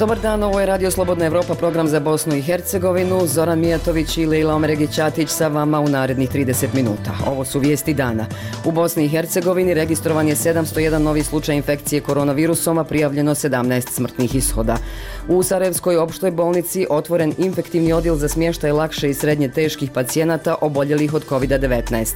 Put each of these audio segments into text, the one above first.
Dobar dan, ovo je Radio Slobodna Evropa, program za Bosnu i Hercegovinu. Zoran Mijatović i Lejla Omeregić-Ćatić sa vama u narednih 30 minuta. Ovo su vijesti dana. U Bosni i Hercegovini registrovan je 701 novi slučaj infekcije koronavirusom, a prijavljeno 17 smrtnih ishoda. U Sarajevskoj opštoj bolnici otvoren infektivni odjel za smještaj lakše i srednje teških pacijenata oboljelih od COVID-19.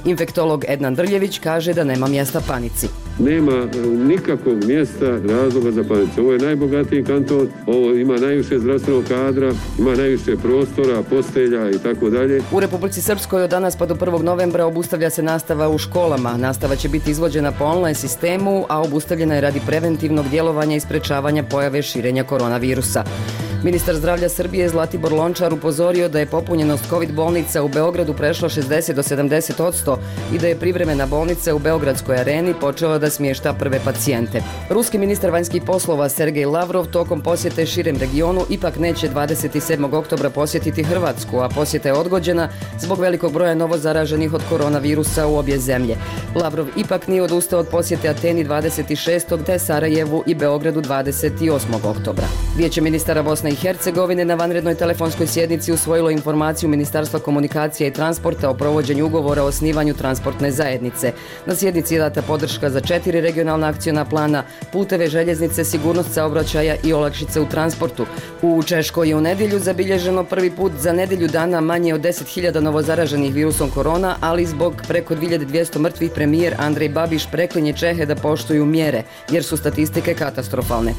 Infektolog Ednan Drljević kaže da nema mjesta panici. Nema nikakvog mjesta razloga za panicu. Ovo je najbogatiji kanton, ovo ima najviše zdravstvenog kadra, ima najviše prostora, postelja i tako dalje. U Republici Srpskoj od danas pa do 1. novembra obustavlja se nastava u školama. Nastava će biti izvođena po online sistemu, a obustavljena je radi preventivnog djelovanja i sprečavanja pojave širenja koronavirusa. Ministar zdravlja Srbije Zlatibor Lončar upozorio da je popunjenost COVID bolnica u Beogradu prešla 60 do 70% i da je privremena bolnica u Beogradskoj areni počela da smješta prve pacijente. Ruski ministar vanjskih poslova Sergej Lavrov tokom posjete širem regionu ipak neće 27. oktobra posjetiti Hrvatsku, a posjeta je odgođena zbog velikog broja novozaraženih od koronavirusa u obje zemlje. Lavrov ipak nije odustao od posjete Ateni 26. te Sarajevu i Beogradu 28. oktobra. Vijeće ministara Bosne i Hercegovine na vanrednoj telefonskoj sjednici usvojilo informaciju Ministarstva komunikacija i transporta o provođenju ugovora o osnivanju transportne zajednice. Na sjednici je data podrška za 4 regionalna akciona plana, puteve, željeznice, sigurnost saobraćaja i olakšice u transportu. U Češkoj je u nedjelju zabilježeno prvi put za nedjelju dana manje od 10.000 novozaraženih virusom korona, ali zbog preko 2200 mrtvih premijer Andrej Babiš preklinje Čehe da poštuju mjere, jer su statistike katastrofalne.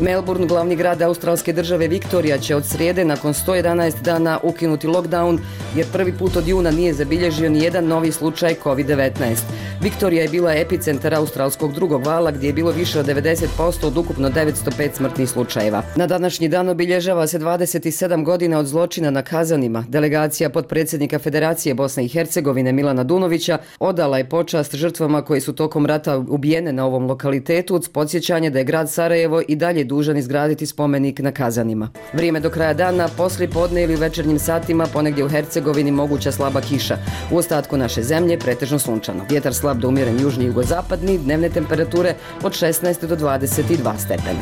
Melbourne, glavni grad australske države Viktorija, će od srijede nakon 111 dana ukinuti lockdown, jer prvi put od juna nije zabilježio ni jedan novi slučaj COVID-19. Viktorija je bila epicentar australskog drugog vala, gdje je bilo više od 90% od ukupno 905 smrtnih slučajeva. Na današnji dan obilježava se 27 godina od zločina na Kazanima. Delegacija potpredsjednika Federacije Bosne i Hercegovine Milana Dunovića odala je počast žrtvama koji su tokom rata ubijene na ovom lokalitetu uz podsjećanje da je grad Sarajevo i dalje dužan izgraditi spomenik na Kazanima. Vrijeme do kraja dana, poslijepodne ili u večernjim satima ponegdje u Hercegovini moguća slaba kiša. U ostatku naše zemlje pretežno sunčano. Vjetar slab do umjeren južni i jugozapadni, dnevne temperature od 16 do 22 stepena.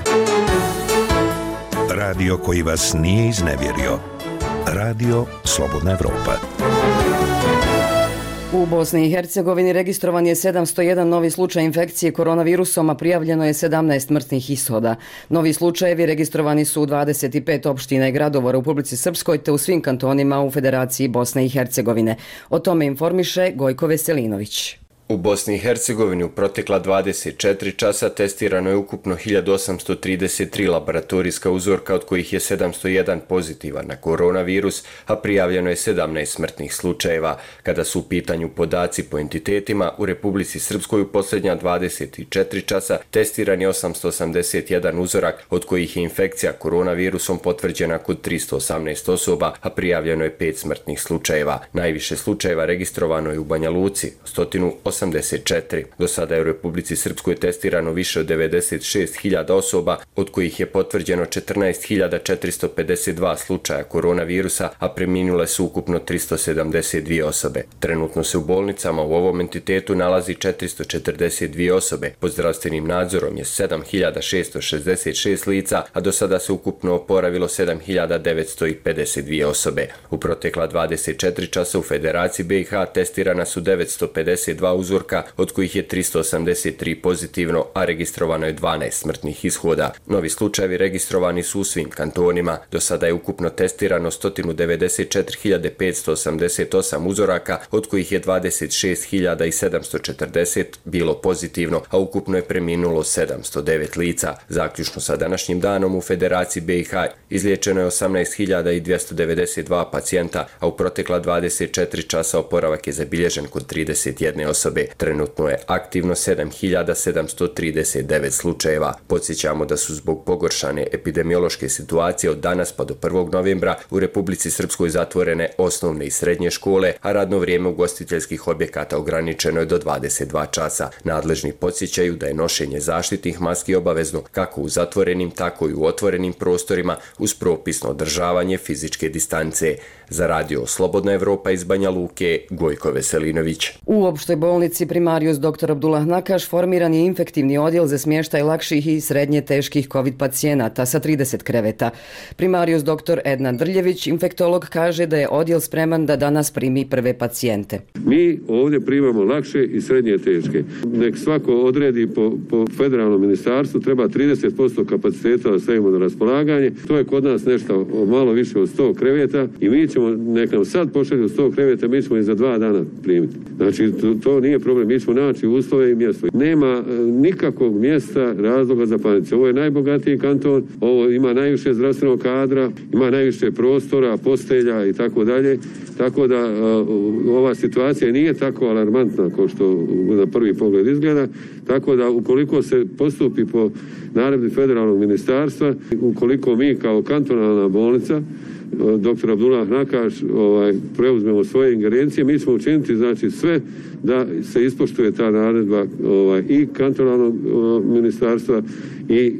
Radio koji vas nije iznevjerio. Radio Slobodna Evropa. U Bosni i Hercegovini registrovan je 701 novi slučaj infekcije koronavirusom, a prijavljeno je 17 smrtnih ishoda. Novi slučajevi registrovani su u 25 opština i gradova u Republici Srpskoj te u svim kantonima u Federaciji Bosne i Hercegovine. O tome informiše Gojko Veselinović. U Bosni i Hercegovini u protekla 24 časa testirano je ukupno 1833 laboratorijska uzorka, od kojih je 701 pozitivan na koronavirus, a prijavljeno je 17 smrtnih slučajeva. Kada su u pitanju podaci po entitetima, u Republici Srpskoj u posljednja 24 časa testiran je 881 uzorak, od kojih je infekcija koronavirusom potvrđena kod 318 osoba, a prijavljeno je 5 smrtnih slučajeva. Najviše slučajeva registrovano je u Banja Luci, 184. Do sada je u Republici Srpskoj testirano više od 96.000 osoba, od kojih je potvrđeno 14.452 slučaja koronavirusa, a preminule su ukupno 372 osobe. Trenutno se u bolnicama u ovom entitetu nalazi 442 osobe. Pod zdravstvenim nadzorom je 7.666 lica, a do sada se ukupno oporavilo 7.952 osobe. U protekla 24 časa u Federaciji BiH testirana su 952 uzorka, od kojih je 383 pozitivno, a registrovano je 12 smrtnih ishoda. Novi slučajevi registrovani su u svim kantonima. Do sada je ukupno testirano 194.588 uzoraka, od kojih je 26.740 bilo pozitivno, a ukupno je preminulo 709 lica. Zaključno sa današnjim danom u Federaciji BiH izliječeno je 18.292 pacijenta, a u protekla 24 časa oporavak je zabilježen kod 31 osobe. Trenutno je aktivno 7.739 slučajeva. Podsjećamo da su zbog pogoršane epidemiološke situacije od danas pa do 1. novembra u Republici Srpskoj zatvorene osnovne i srednje škole, a radno vrijeme ugostiteljskih objekata ograničeno je do 22 časa. Nadležni podsjećaju da je nošenje zaštitnih maski obavezno kako u zatvorenim, tako i u otvorenim prostorima uz propisno održavanje fizičke distance. Za radio Slobodna Evropa iz Banja Luke, Gojko Veselinović. U opštoj bolnici Primarius dr. Abdullah Nakaš formiran je infektivni odjel za smještaj lakših i srednje teških COVID pacijenata sa 30 kreveta. Primarius dr. Ednan Drljević, infektolog, kaže da je odjel spreman da danas primi prve pacijente. Mi ovdje primamo lakše i srednje teške. Nek svako odredi po federalnom ministarstvu, treba 30% kapaciteta da stavimo na raspolaganje. To je kod nas nešto malo više od 100 kreveta i mi ćemo, nek nam sad pošalju 100 kreveta, mi ćemo i za 2 dana primiti. Znači, to nije problem, mi ćemo naći uslove i mjesto. Nema nikakvog mjesta razloga za panicu. Ovo je najbogatiji kanton, ovo ima najviše zdravstvenog kadra, ima najviše prostora, postelja i tako dalje. Tako da ova situacija nije tako alarmantna kao što na prvi pogled izgleda. Tako da ukoliko se postupi po naredbi federalnog ministarstva, ukoliko mi kao kantonalna bolnica dr. Abdullah Nakaš preuzmemo svoje ingerencije, mi ćemo učiniti znači sve da se ispoštuje ta naredba i kantonalnog ministarstva i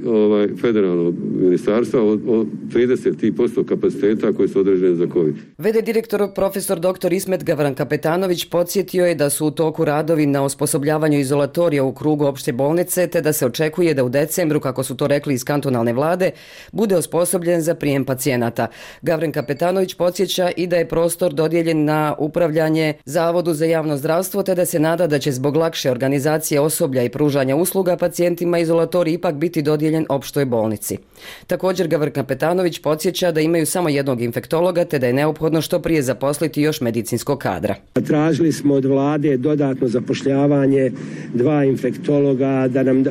federalnog ministarstva od 30% kapaciteta koji su određeni za COVID. VD direktor profesor dr. Ismet Gavrankapetanović podsjetio je da su u toku radovi na osposobljavanju izolatorija u krugu opšte bolnice, te da se očekuje da u decembru, kako su to rekli iz kantonalne vlade, bude osposobljen za prijem pacijenata. Gavrankapetanović podsjeća i da je prostor dodijeljen na upravljanje Zavodu za javno zdravstvo, te da se nada da će zbog lakše organizacije osoblja i pružanja usluga pacijentima izolatorij ipak biti dodijeljen opštoj bolnici. Također Gavrankapetanović podsjeća da imaju samo jednog infektologa, te da je neophodno što prije zaposliti još medicinskog kadra. Tražili smo od vlade dodatno zapošljavanje 2 infektologa, da nam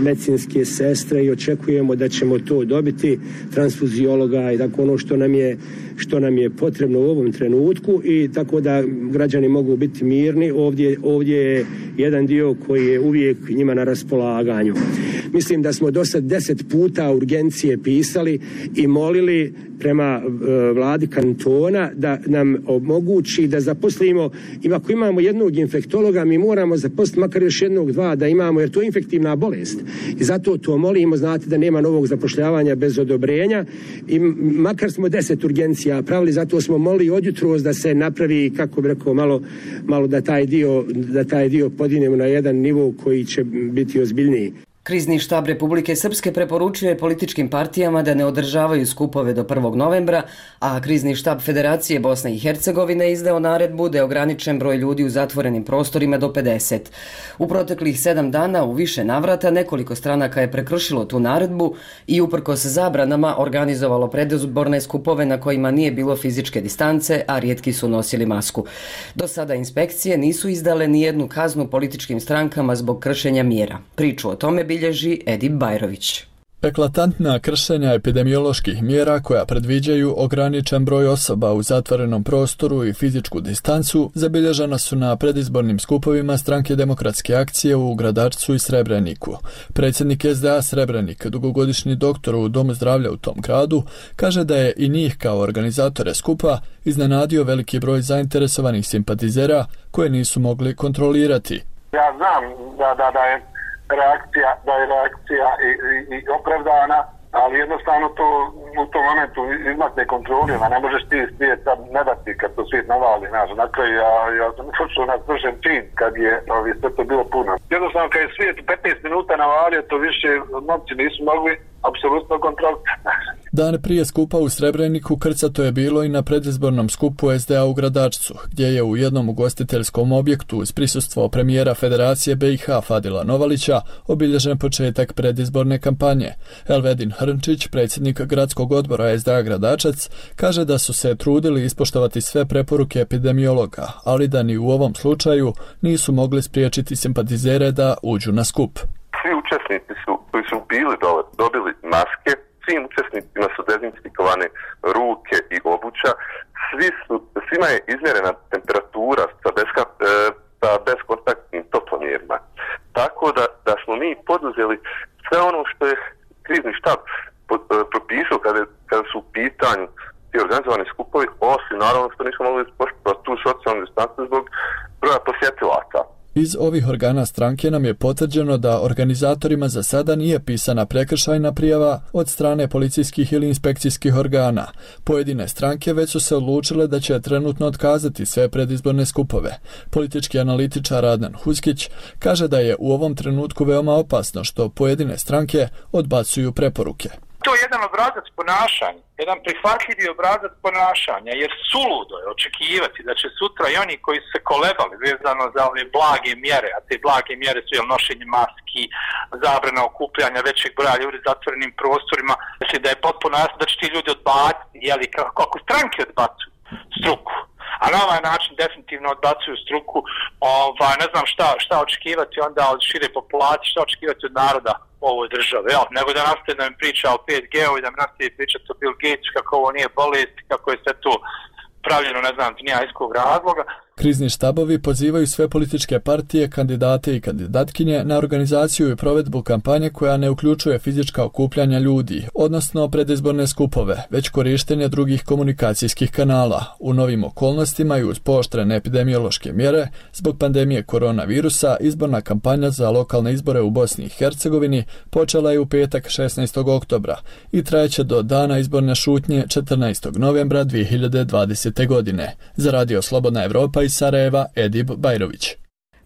medicinske sestre, i očekujemo da ćemo to dobiti, transfuziologa i tako ono što nam je potrebno u ovom trenutku, i tako da građani mogu biti mirni. Ovdje je jedan dio koji je uvijek njima na raspolaganju. Mislim da smo do sad 10 puta urgencije pisali i molili prema vladi kantona da nam omogući da zaposlimo, ako imamo jednog infektologa, mi moramo zaposliti makar još 1-2 da imamo, jer to je infektivna bolest. I zato to molimo, znate da nema novog zapošljavanja bez odobrenja, i makar smo 10 urgencija pravili, zato smo molili od jutros da se napravi, kako bi rekao, malo da taj dio podinemo na jedan nivo koji će biti ozbiljniji. Krizni štab Republike Srpske preporučuje političkim partijama da ne održavaju skupove do 1. novembra, a krizni štab Federacije Bosne i Hercegovine izdao naredbu da je ograničen broj ljudi u zatvorenim prostorima do 50. U proteklih 7 dana u više navrata nekoliko stranaka je prekršilo tu naredbu i uprkos zabranama organizovalo predizborne skupove na kojima nije bilo fizičke distance, a rijetki su nosili masku. Do sada inspekcije nisu izdale ni jednu kaznu političkim strankama zbog kršenja mjera. Priču o tome bilježi Edip Bajrović. Eklatantna kršenja epidemioloških mjera koja predviđaju ograničen broj osoba u zatvorenom prostoru i fizičku distancu zabilježena su na predizbornim skupovima Stranke demokratske akcije u Gradačcu i Srebreniku. Predsjednik SDA Srebrenik, dugogodišnji doktor u Domu zdravlja u tom gradu, kaže da je i njih kao organizatore skupa iznenadio veliki broj zainteresovanih simpatizera koje nisu mogli kontrolirati. Ja znam da je reakcija i opravdana, ali jednostavno to u tom momentu izmakne kontroli, ne možeš ti svijet sad ne dati kad to svijet navali, na kraju ja sam počeo na svršen čin kad je sve to bilo puno. Jednostavno kad je svijet 15 minuta navalio, to više momci nisu mogli apsolutno kontroliti. Dan prije skupa u Srebreniku krcato je bilo i na predizbornom skupu SDA u Gradačcu, gdje je u jednom ugostiteljskom objektu uz prisustvo premijera Federacije BiH Fadila Novalića obilježen početak predizborne kampanje. Elvedin Hrnčić, predsjednik gradskog odbora SDA Gradačac, kaže da su se trudili ispoštovati sve preporuke epidemiologa, ali da ni u ovom slučaju nisu mogli spriječiti simpatizere da uđu na skup. Svi učesnici koji su bili dobili maske, svim učesnicima su dezinfikovane ruke i obuća, svima je izmjerena temperatura sa bezkontaktnim toplomjerima. Tako da smo mi poduzeli sve ono što je krizni štab propisao kada su u pitanju ti organizovani skupovi, osim naravno što nismo mogli ispoštovati tu socijalnu distancu zbog broja posjetilaca. Iz ovih organa stranke nam je potvrđeno da organizatorima za sada nije pisana prekršajna prijava od strane policijskih ili inspekcijskih organa. Pojedine stranke već su se odlučile da će trenutno otkazati sve predizborne skupove. Politički analitičar Adnan Huskić kaže da je u ovom trenutku veoma opasno što pojedine stranke odbacuju preporuke. To je jedan obrazac ponašanja, jedan prihvatljivi obrazac ponašanja, jer suludo je očekivati da će sutra i oni koji su se kolebali vezano za ove blage mjere, a te blage mjere su nošenje maski, zabrana okupljanja većeg broja ljudi u zatvorenim prostorima, znači da je potpuno jasno da će ti ljudi odbaciti, jeli, kako stranke odbacuju struku. A na ovaj način definitivno odbacuju struku, ne znam šta očekivati onda od šire populacije, šta očekivati od naroda u ovoj državi, nego da nastaje da mi priča o 5G-u i da mi nastaje pričati o Bill Gatesu, kako ovo nije bolest, kako je sve to pravljeno, ne znam, iz nijajskog razloga. Krizni štabovi pozivaju sve političke partije, kandidate i kandidatkinje na organizaciju i provedbu kampanje koja ne uključuje fizička okupljanja ljudi, odnosno predizborne skupove, već korištenje drugih komunikacijskih kanala. U novim okolnostima i uz pooštrene epidemiološke mjere, zbog pandemije koronavirusa, izborna kampanja za lokalne izbore u Bosni i Hercegovini počela je u petak 16. oktobra i trajeće do dana izborne šutnje 14. novembra 2020. godine. Za Radio Slobodna Evropa iz Sarajeva, Edib Bajrović.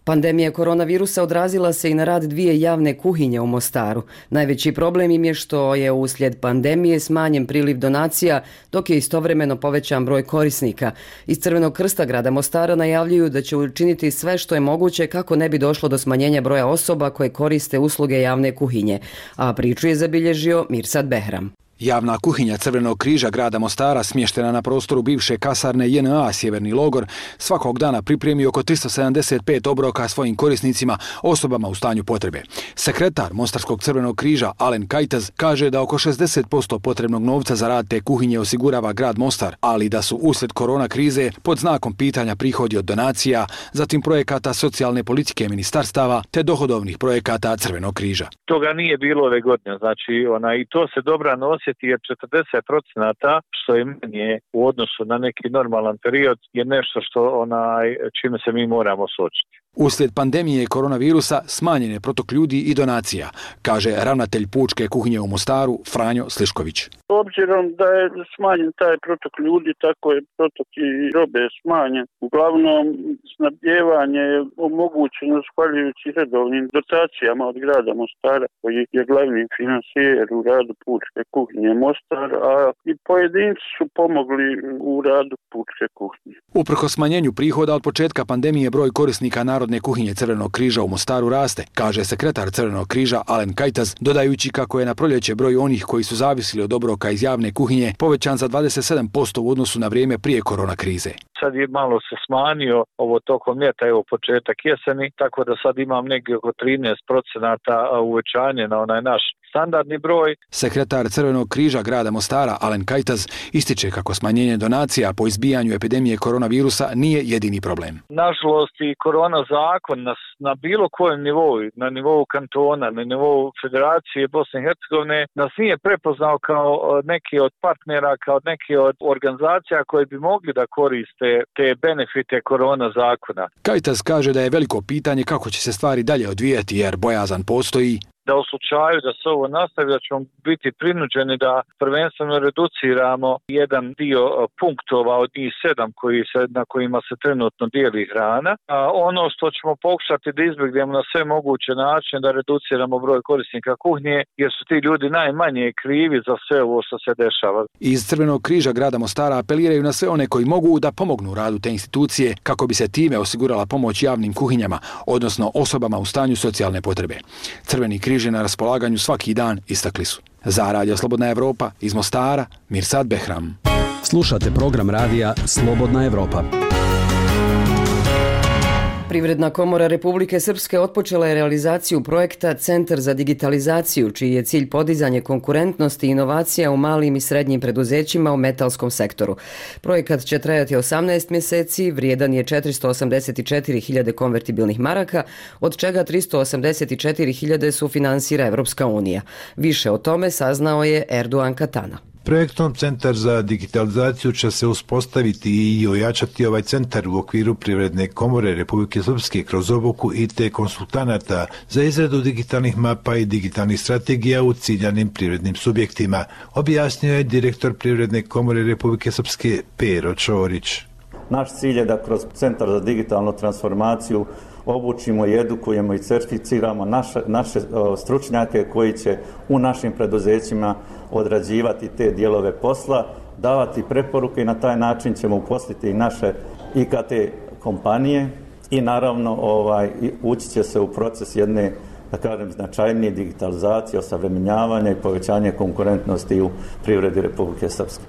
Pandemija koronavirusa odrazila se i na rad dvije javne kuhinje u Mostaru. Najveći problem im je što je uslijed pandemije smanjen priliv donacija, dok je istovremeno povećan broj korisnika. Iz Crvenog krsta grada Mostara najavljuju da će učiniti sve što je moguće kako ne bi došlo do smanjenja broja osoba koje koriste usluge javne kuhinje. A priču je zabilježio Mirsad Behram. Javna kuhinja Crvenog križa grada Mostara, smještena na prostoru bivše kasarne JNA Sjeverni logor, svakog dana pripremi oko 375 obroka svojim korisnicima, osobama u stanju potrebe. Sekretar Mostarskog Crvenog križa Alen Kajtaz kaže da oko 60% potrebnog novca za rad te kuhinje osigurava grad Mostar, ali da su uslijed korona krize pod znakom pitanja prihodi od donacija, zatim projekata socijalne politike ministarstava te dohodovnih projekata Crvenog križa. Toga nije bilo ove godine, znači i to se dobra nosi jer 40% što je manje u odnosu na neki normalan period je nešto što čime se mi moramo suočiti. Uslijed pandemije koronavirusa smanjen je protok ljudi i donacija, kaže ravnatelj pučke kuhinje u Mostaru Franjo Slišković. Obzirom da je smanjen taj protok ljudi, tako je protok i robe smanjen. Uglavnom, snabdjevanje je omogućeno zahvaljujući redovnim dotacijama od grada Mostara, koji je glavni finansijer u radu pučke kuhinje Mostar, a i pojedinci su pomogli u radu pučke kuhinje. Uprkos smanjenju prihoda od početka pandemije, broj korisnika Narodne kuhinje Crvenog križa u Mostaru raste, kaže sekretar Crvenog križa Alen Kajtaz, dodajući kako je na proljeće broj onih koji su zavisili od obroka iz javne kuhinje povećan za 27% u odnosu na vrijeme prije korona krize. Sad je malo se smanjio ovo tokom ljeta, početak jeseni, tako da sad imam negdje oko 13% uvećanje na onaj naš standardni broj. Sekretar Crvenog križa grada Mostara Alen Kajtaz ističe kako smanjenje donacija po izbijanju epidemije koronavirusa nije jedini problem. Nažalost i korona zakon nas na bilo kojem nivou, na nivou kantona, na nivou Federacije Bosne i Hercegovine, nas nije prepoznao kao neki od partnera, kao neki od organizacija koje bi mogli da koriste te benefite korona zakona. Kajtaz kaže da je veliko pitanje kako će se stvari dalje odvijati jer bojazan postoji da u slučaju da se ovo nastavi, da ćemo biti prinuđeni da prvenstveno reduciramo jedan dio punktova od njih 7 na kojima se trenutno dijeli hrana. A ono što ćemo pokušati da izbjegnemo na sve moguće načine da reduciramo broj korisnika kuhnje, jer su ti ljudi najmanje krivi za sve ovo što se dešava. Iz Crvenog križa grada Mostara apeliraju na sve one koji mogu da pomognu radu te institucije kako bi se time osigurala pomoć javnim kuhinjama, odnosno osobama u stanju socijalne potrebe. Crveni križ na raspolaganju svaki dan, istakli su. Za Radio Slobodna Evropa iz Mostara, Mirsad Behram. Slušate program radija Slobodna Evropa. Privredna komora Republike Srpske otpočela je realizaciju projekta Centar za digitalizaciju, čiji je cilj podizanje konkurentnosti i inovacija u malim i srednjim preduzećima u metalskom sektoru. Projekat će trajati 18 mjeseci, vrijedan je 484.000 konvertibilnih maraka, od čega 384.000 sufinansira Evropska unija. Više o tome saznao je Erdogan Katana. Projektom Centar za digitalizaciju će se uspostaviti i ojačati ovaj centar u okviru Privredne komore Republike Srpske kroz obuku IT konsultanata za izradu digitalnih mapa i digitalnih strategija u ciljanim privrednim subjektima, objasnio je direktor Privredne komore Republike Srpske Pero Čorić. Naš cilj je da kroz Centar za digitalnu transformaciju obučimo i edukujemo i certificiramo naše stručnjake koji će u našim preduzećima odrađivati te dijelove posla, davati preporuke i na taj način ćemo uposliti i naše IKT kompanije i naravno ući će se u proces jedne, da kažem, značajnije digitalizacije, osavremenjavanja i povećanje konkurentnosti u privredi Republike Srpske.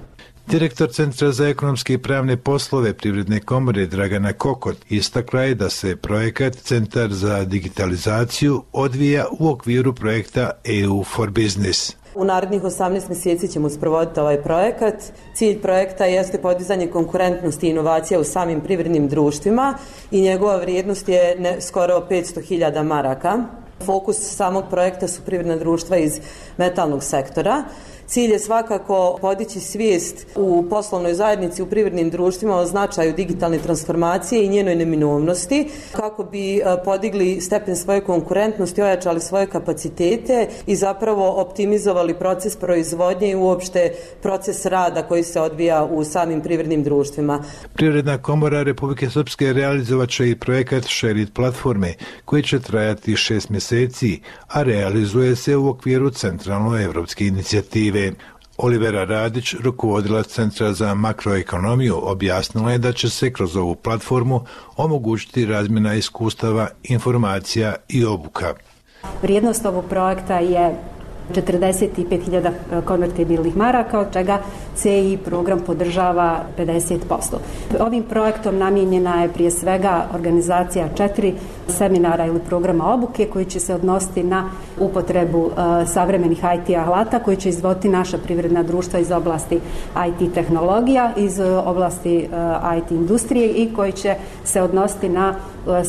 Direktor Centra za ekonomske i pravne poslove Privredne komore Dragana Kokot istakla je da se projekat Centar za digitalizaciju odvija u okviru projekta EU for Business. U narednih 18 mjeseci ćemo sprovoditi ovaj projekat. Cilj projekta jeste podizanje konkurentnosti i inovacija u samim privrednim društvima i njegova vrijednost je skoro 500.000 maraka. Fokus samog projekta su privredna društva iz metalnog sektora. Cilj je svakako podići svijest u poslovnoj zajednici, u privrednim društvima o značaju digitalne transformacije i njenoj neminovnosti kako bi podigli stepen svoje konkurentnosti, ojačali svoje kapacitete i zapravo optimizovali proces proizvodnje i uopšte proces rada koji se odvija u samim privrednim društvima. Privredna komora Republike Srpske realizovat će i projekat Share It platforme koji će trajati 6 mjeseci, a realizuje se u okviru centralno-evropske inicijative. Olivera Radić, rukovodilac Centra za makroekonomiju, objasnila je da će se kroz ovu platformu omogućiti razmjena iskustava, informacija i obuka. Vrijednost ovog projekta je 45.000 konvertibilnih maraka, od čega CI program podržava 50%. Ovim projektom namijenjena je prije svega organizacija 4 seminara ili programa obuke koji će se odnositi na upotrebu savremenih IT alata koji će izvoditi naša privredna društva iz oblasti IT tehnologija, iz oblasti IT industrije i koji će se odnositi na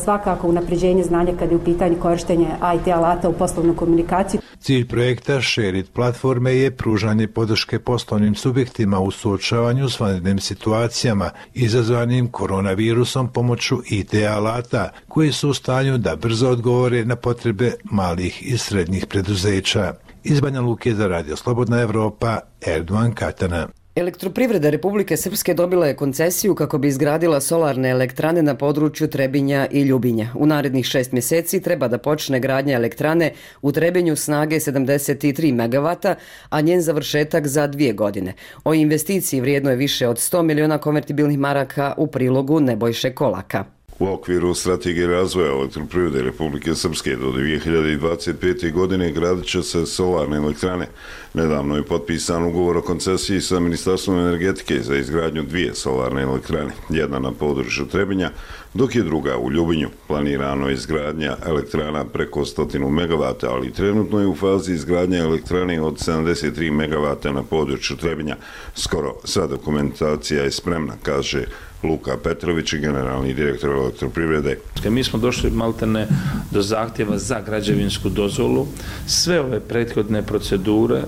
svakako unapređenje znanja kad je u pitanju korištenje IT alata u poslovnu komunikaciju. Cilj projekta Share It platforme je pružanje podrške poslovnim subjektima u suočavanju s vanrednim situacijama izazvanim koronavirusom pomoću IT alata koji su u stanju da brzo odgovore na potrebe malih i srednjih preduzeća. Iz Banja Luke za Radio Slobodna Evropa, Erdovan Katana. Elektroprivreda Republike Srpske dobila je koncesiju kako bi izgradila solarne elektrane na području Trebinja i Ljubinja. U narednih 6 mjeseci treba da počne gradnja elektrane u Trebinju snage 73 MW, a njen završetak za 2 godine. O investiciji vrijedno je više od 100 miliona konvertibilnih maraka u prilogu Nebojše Kolaka. U okviru strategije razvoja elektroprivrede Republike Srpske do 2025. godine gradit će se solarne elektrane. Nedavno je potpisan ugovor o koncesiji sa Ministarstvom energetike za izgradnju 2 solarne elektrane, jedna na području Trebinja, dok je druga u Ljubinju. Planirano je izgradnja elektrana preko 100 MW, ali trenutno je u fazi izgradnje elektrane od 73 MW na području Trebinja. Skoro sva dokumentacija je spremna, kaže Luka Petrović, generalni direktor elektroprivrede. Mi smo došli maltene do zahtjeva za građevinsku dozvolu. Sve ove prethodne procedure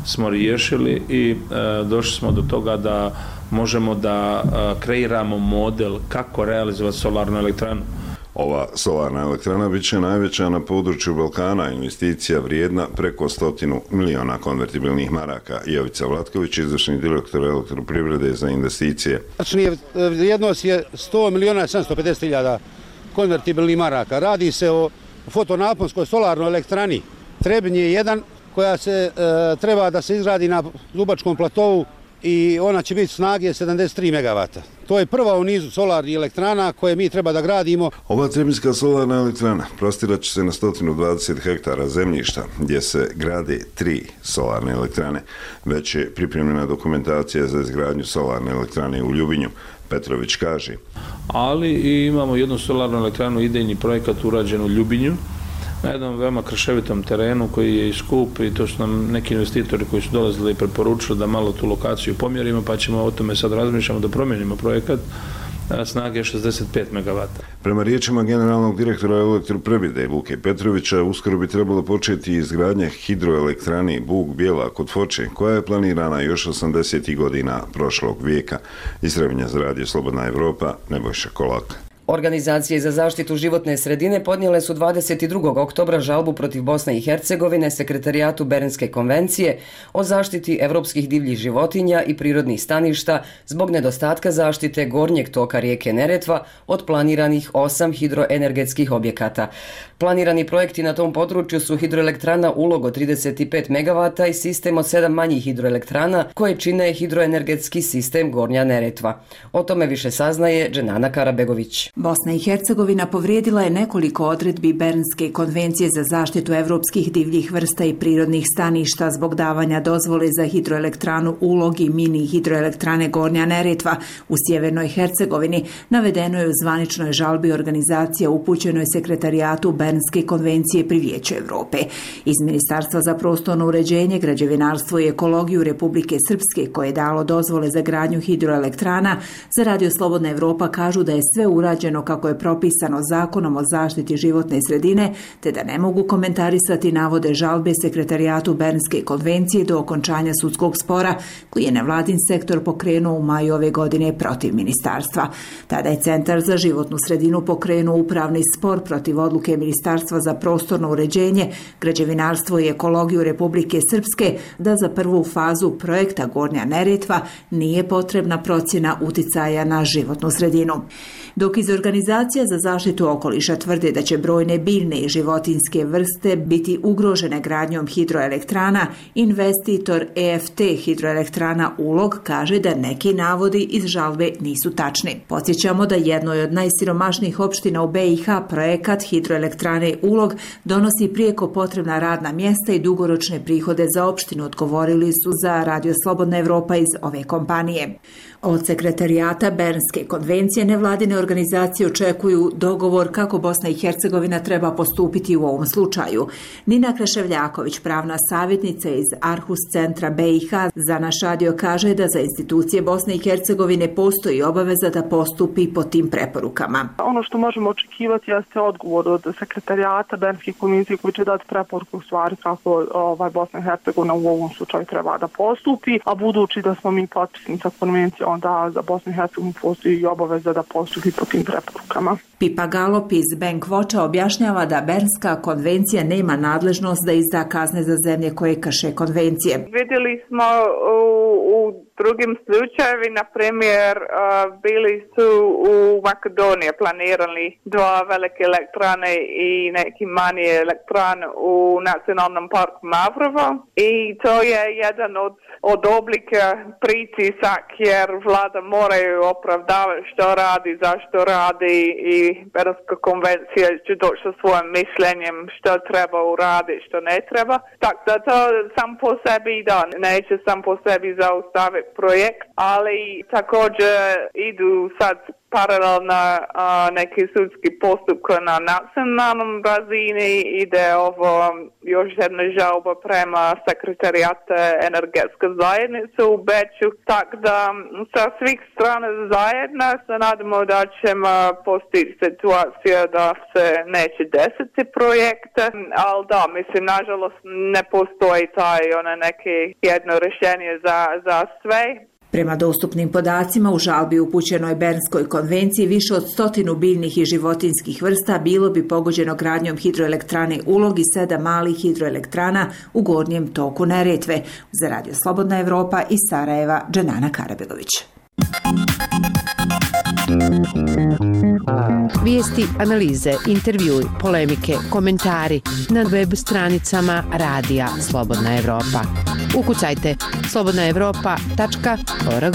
smo riješili i došli smo do toga da možemo da kreiramo model kako realizovati solarnu elektranu. Ova solarna elektrana bit će najveća na području Balkana, investicija vrijedna preko 100 miliona konvertibilnih maraka. Jovica Vlatković, izvršni direktor elektroprivrede za investicije. Vrijednost je 100 miliona 750 hiljada konvertibilnih maraka. Radi se o fotonaponskoj solarnoj elektrani Trebinje 1 koja se treba da se izgradi na Zubačkom platovu i ona će biti snage 73 MW. To je prva u nizu solarnih elektrana koje mi treba da gradimo. Ova trebinska solarna elektrana prostirat će se na 120 hektara zemljišta gdje se grade 3 solarne elektrane. Već je pripremljena dokumentacija za izgradnju solarne elektrane u Ljubinju. Petrović kaže. Ali imamo jednu solarnu elektranu, idejni projekat urađen u Ljubinju, na jednom veoma krševitom terenu koji je i skup i to su nam neki investitori koji su dolazili i preporučili da malo tu lokaciju pomjerimo, pa ćemo o tome sad razmišljamo da promijenimo projekat snage 65 MW. Prema riječima generalnog direktora Elektroprivrede Luke Petrovića, uskoro bi trebalo početi izgradnja hidroelektrane Bug Bijela kod Foče, koja je planirana još 80. godina prošlog vijeka. Iz Trebinja za radio Slobodna Evropa, Nebojša Kolak. Organizacije za zaštitu životne sredine podnijele su 22. oktobra žalbu protiv Bosne i Hercegovine Sekretarijatu Bernske konvencije o zaštiti evropskih divljih životinja i prirodnih staništa zbog nedostatka zaštite gornjeg toka rijeke Neretva od planiranih 8 hidroenergetskih objekata. Planirani projekti na tom području su hidroelektrana Ulog od 35 MW i sistem od 7 manjih hidroelektrana koje čine hidroenergetski sistem Gornja Neretva. O tome više saznaje Dženana Karabegović. Bosna i Hercegovina povrijedila je nekoliko odredbi Bernske konvencije za zaštitu evropskih divljih vrsta i prirodnih staništa zbog davanja dozvole za hidroelektranu Ulog i mini hidroelektrane Gornja Neretva u sjevernoj Hercegovini, navedeno je u zvaničnoj žalbi organizacija upućenoj Sekretarijatu Bernske konvencije pri Vijeću Evrope. Iz Ministarstva za prostorno uređenje, građevinarstvo i ekologiju Republike Srpske, koje je dalo dozvole za gradnju hidroelektrana, za radio Slobodna Evropa kažu da je sve urađeno kako je propisano Zakonom o zaštiti životne sredine, te da ne mogu komentarisati navode žalbe Sekretarijatu Bernske konvencije do okončanja sudskog spora koji je nevladin sektor pokrenuo u maju ove godine protiv ministarstva. Tada je Centar za životnu sredinu pokrenuo upravni spor protiv odluke Ministarstva za prostorno uređenje, građevinarstvo i ekologiju Republike Srpske da za prvu fazu projekta Gornja Neretva nije potrebna procjena uticaja na životnu sredinu. Dok iz Organizacija za zaštitu okoliša tvrde da će brojne biljne i životinjske vrste biti ugrožene gradnjom hidroelektrana, investitor EFT hidroelektrana Ulog kaže da neki navodi iz žalbe nisu tačni. Podsjećamo da jednoj od najsiromašnijih opština u BiH projekat hidroelektrane Ulog donosi prijeko potrebna radna mjesta i dugoročne prihode za opštinu, odgovorili su za Radio Slobodna Evropa iz ove kompanije. Od Sekretarijata Bernske konvencije nevladine organizacije očekuju dogovor kako Bosna i Hercegovina treba postupiti u ovom slučaju. Nina Kreševljaković, pravna savjetnica iz Arhus centra BiH, za naš radio kaže da za institucije Bosne i Hercegovine postoji obaveza da postupi po tim preporukama. Ono što možemo očekivati jeste odgovor od Sekretarijata Bernske konvencije koji će dati preporuku u stvari kako Bosna i Hercegovina u ovom slučaju treba da postupi, a budući da smo mi potpisnica konvencije, onda za Bosnu i Hercegovinu postoji i obaveza da postupi po tim preporukama. Pipa Galop iz Bank Watcha objašnjava da Bernska konvencija nema nadležnost da izda kazne za zemlje koje krše konvencije. Vidjeli smo u drugim slučajevi, na primjer, bili su u Makedoniji planirali 2 velike elektrane i neki manji elektran u nacionalnom parku Mavrovo i to je jedan od oblika pritisak jer vlada moraju opravdavati što radi, zašto radi i Bernska konvencija će doći sa svojim mišljenjem što treba uraditi, što ne treba. Tako da to sam po sebi neće sam po sebi zaustaviti projekt, ali također idu sad paralelno neki sudski postupka na nacionalnom razini, ide ovo još jedna žalba prema Sekretarijata energetske zajednice u Beču, tako da sa svih strana zajedno se nadamo da ćemo postići situaciju da se neće desiti projekte, ali da, mislim, nažalost ne postoji taj neke jedno rješenje za sve. Prema dostupnim podacima u žalbi upućenoj Bernskoj konvenciji više od 100 biljnih i životinjskih vrsta bilo bi pogođeno gradnjom hidroelektrane Ulog i 7 malih hidroelektrana u gornjem toku Neretve. Za Radio Slobodna Evropa iz Sarajeva, Dženana Karabegović. Vijesti, analize, intervjui, polemike, komentari na web stranicama Radija Slobodna Evropa. Ukucajte slobodnaevropa.org.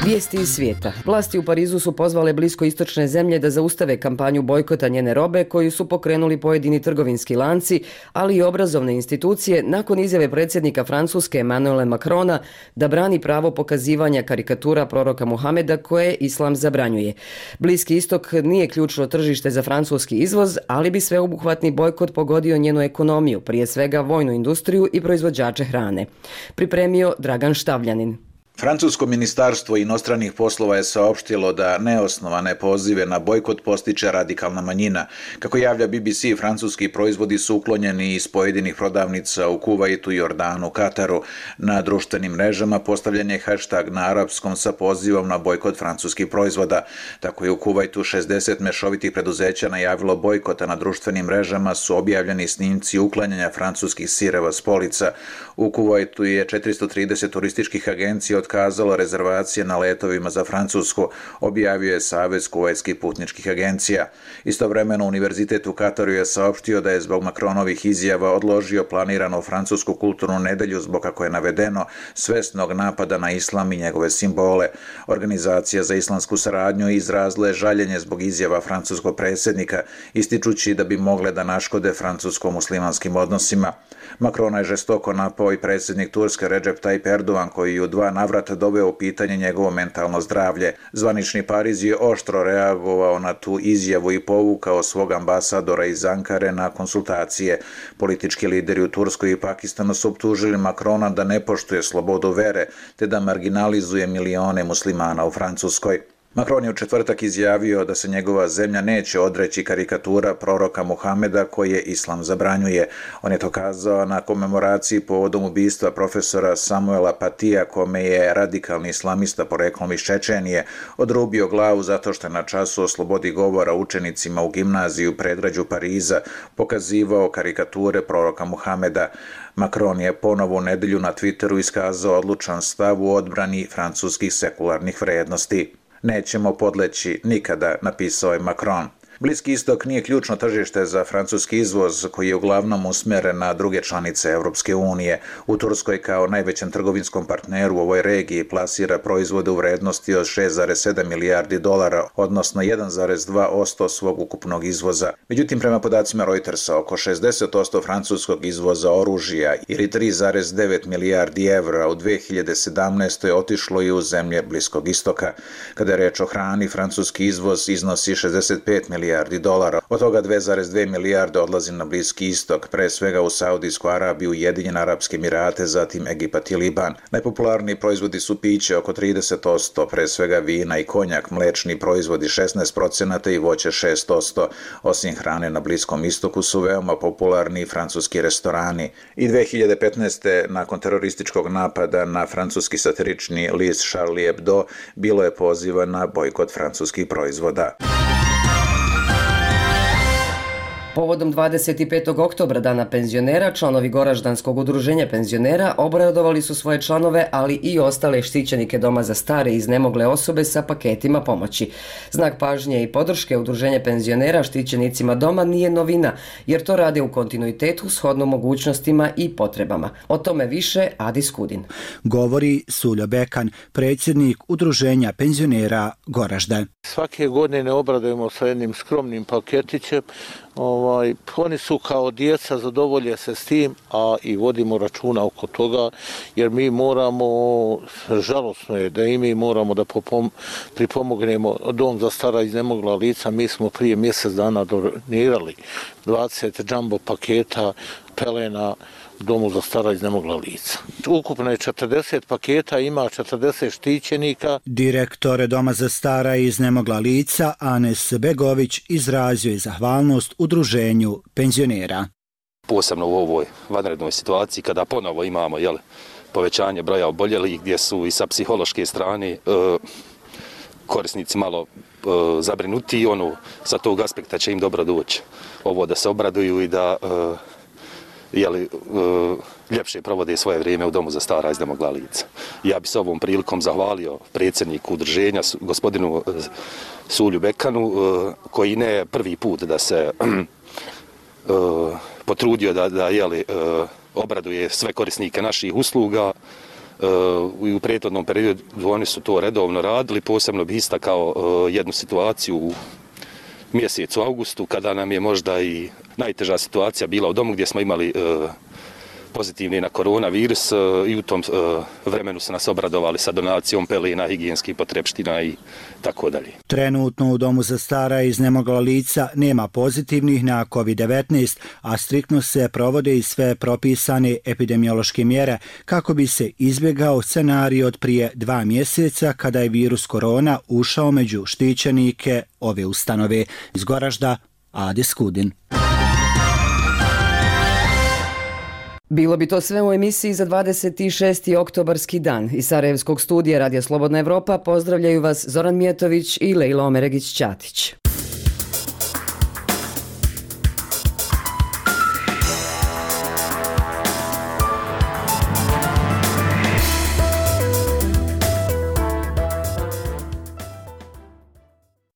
Vijesti iz svijeta. Vlasti u Parizu su pozvale bliskoistočne zemlje da zaustave kampanju bojkota njene robe koju su pokrenuli pojedini trgovinski lanci, ali i obrazovne institucije nakon izjave predsjednika Francuske Emmanuela Macrona da brani pravo pokazivanja karikatura proroka Muhameda koje islam zabranjuje. Bliski istok nije ključno tržište za francuski izvoz, ali bi sveobuhvatni bojkot pogodio njenu ekonomiju, prije svega vojnu industriju i proizvođače hrane. Pripremio Dragan Štavljanin. Francusko ministarstvo inostranih poslova je saopštilo da neosnovane pozive na bojkot postiče radikalna manjina. Kako javlja BBC, francuski proizvodi su uklonjeni iz pojedinih prodavnica u Kuvajtu, Jordanu, Kataru. Na društvenim mrežama postavljen je hashtag na arapskom sa pozivom na bojkot francuskih proizvoda. Tako je u Kuvajtu 60 mešovitih preduzeća najavilo bojkota. Na društvenim mrežama su objavljeni snimci uklanjanja francuskih sireva s polica. U Kuvajtu je 430 turističkih agencija otkazalo rezervacije na letovima za Francusku, objavio je Savez kuvajtskih putničkih agencija. Istovremeno, Univerzitet u Kataru je saopštio da je zbog Macronovih izjava odložio planiranu francusku kulturnu nedelju zbog, kako je navedeno, svesnog napada na islam i njegove simbole. Organizacija za islamsku saradnju izrazila je žaljenje zbog izjava francuskog predsjednika, ističući da bi mogle da naškode francusko-muslimanskim odnosima. Macrona je žestoko napao i predsjednik Turske Recep Tayyip Erdogan, koji je u 2 navrata doveo u pitanje njegovo mentalno zdravlje. Zvanični Pariz je oštro reagovao na tu izjavu i povukao svog ambasadora iz Ankare na konsultacije. Politički lideri u Turskoj i Pakistanu su optužili Macrona da ne poštuje slobodu vere, te da marginalizuje milione muslimana u Francuskoj. Macron je u četvrtak izjavio da se njegova zemlja neće odreći karikatura proroka Muhameda koje islam zabranjuje. On je to kazao na komemoraciji povodom ubistva profesora Samuela Patija, kome je radikalni islamista poreklom iz Čečenije odrubio glavu zato što je na času o slobodi govora učenicima u gimnaziji u predgrađu Pariza pokazivao karikature proroka Muhameda. Macron je ponovo u nedelju na Twitteru iskazao odlučan stav u odbrani francuskih sekularnih vrednosti. Nećemo podleći nikada, napisao je Macron. Bliski istok nije ključno tržište za francuski izvoz, koji je uglavnom usmjeren na druge članice Europske unije. U Turskoj kao najvećem trgovinskom partneru u ovoj regiji plasira proizvode u vrednosti od 6,7 milijardi dolara, odnosno 1,2% svog ukupnog izvoza. Međutim, prema podacima Reutersa, oko 60% francuskog izvoza oružja ili 3,9 milijardi evra u 2017. otišlo i u zemlje Bliskog istoka. Kada je reč o hrani, francuski izvoz iznosi 65 milijardi dolara. Od toga 2,2 milijarde odlazi na Bliski istok, pre svega u Saudijsku Arabiju, Ujedinjene Arapske Emirate, zatim Egipat i Liban. Najpopularniji proizvodi su piće oko 30%, pre svega vina i konjak, mlečni proizvodi 16% i voće 6%. Osim hrane na Bliskom istoku su veoma popularni francuski restorani. I 2015. nakon terorističkog napada na francuski satirični list Charlie Hebdo bilo je poziva na bojkot francuskih proizvoda. Povodom 25. oktobra, dana penzionera, članovi Goraždanskog udruženja penzionera obradovali su svoje članove, ali i ostale štićenike doma za stare i iznemogle osobe sa paketima pomoći. Znak pažnje i podrške udruženja penzionera štićenicima doma nije novina, jer to rade u kontinuitetu shodno mogućnostima i potrebama. O tome više Adi Skudin. Govori Suljo Bekan, predsjednik udruženja penzionera Goražde. Svake godine obradujemo sa jednim skromnim paketićem. Oni su kao djeca, zadovolje se s tim, a i vodimo računa oko toga, jer mi moramo, žalosno je da i mi moramo da pripomognemo dom za stara iznemogla lica. Mi smo prije mjesec dana donirali 20 jumbo paketa pelena domu za stara iznemogla lica. Ukupno je 40 paketa, ima 40 štićenika. Direktor Doma za stara i iznemogla lica Anes Begović izrazio je zahvalnost udruženju penzionera. Posebno u ovoj vanrednoj situaciji kada ponovo imamo povećanje broja oboljelih, gdje su i sa psihološke strane korisnici malo zabrinuti, sa tog aspekta će im dobro doći ovo da se obraduju i da ljepše provode svoje vrijeme u domu za stara iznemogla lica. Ja bih se ovom prilikom zahvalio predsjedniku udruženja, gospodinu Sulju Bekanu, koji ne prvi put da se potrudio da obraduje sve korisnike naših usluga. U prethodnom periodu oni su to redovno radili, posebno bih istakao jednu situaciju u mjesecu augustu, kada nam je možda i najteža situacija bila u domu, gdje smo imali pozitivni na koronavirus i u tom vremenu su nas obradovali sa donacijom pelena, higijenskih potrepština i tako dalje. Trenutno u domu za stara i iznemogla lica nema pozitivnih na COVID-19, a striktno se provode i sve propisane epidemiološke mjere kako bi se izbjegao scenarij od prije 2 mjeseca kada je virus korona ušao među štićenike ove ustanove. Iz Goražda, Adis Kudin. Bilo bi to sve u emisiji za 26. oktobarski dan. Iz Sarajevskog studija Radija Slobodna Evropa pozdravljaju vas Zoran Mijetović i Lejla Omeregić-Ćatić.